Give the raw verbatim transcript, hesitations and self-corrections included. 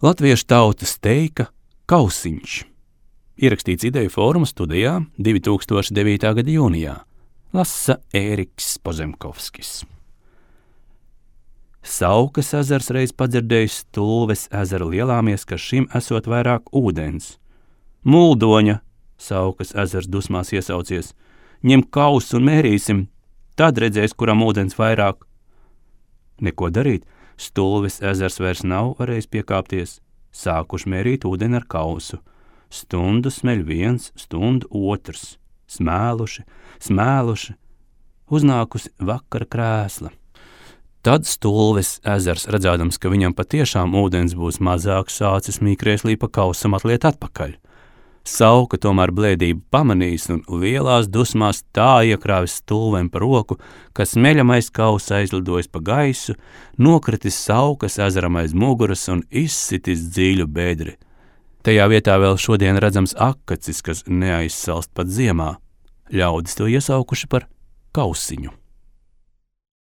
Latviešu tautas teika Kausiņš. Ierakstīts Ideju fóruma studijā divi tūkstoši devītā gada jūnijā. Lasa Ēriks Pozemkovskis. Saukas ezers reiz padzirdējis Stulves ezera lielāmies, ka šim esot vairāk ūdens. Muldoņa, Saukas ezers dusmās iesaucies, ņem kausu un mērīsim, tad redzēs, kuram ūdens vairāk. Neko darīt, Stulves ezers vairs nav varējis piekāpties, sākuši mērīt ūdeni ar kausu. Stundu smeļ viens, stundu otrs, smēluši, smēluši, uznākusi vakara krēsla. Tad Stulves ezers, redzādams, ka viņam patiešām ūdens būs mazāk, sācis mīkrēslī pa kausam atliet atpakaļ. Sauka tomēr blēdību pamanīs un lielās dusmās tā iekrāvis Stulvem pa roku, ka smeļamais kausa aizlidojis pa gaisu, nokritis Saukas ezeram aiz muguras un izsitis dziļu bedri. Tajā vietā vēl šodien redzams akacis, kas neaizsalst pat ziemā. Ļaudis to iesaukuši par Kausiņu.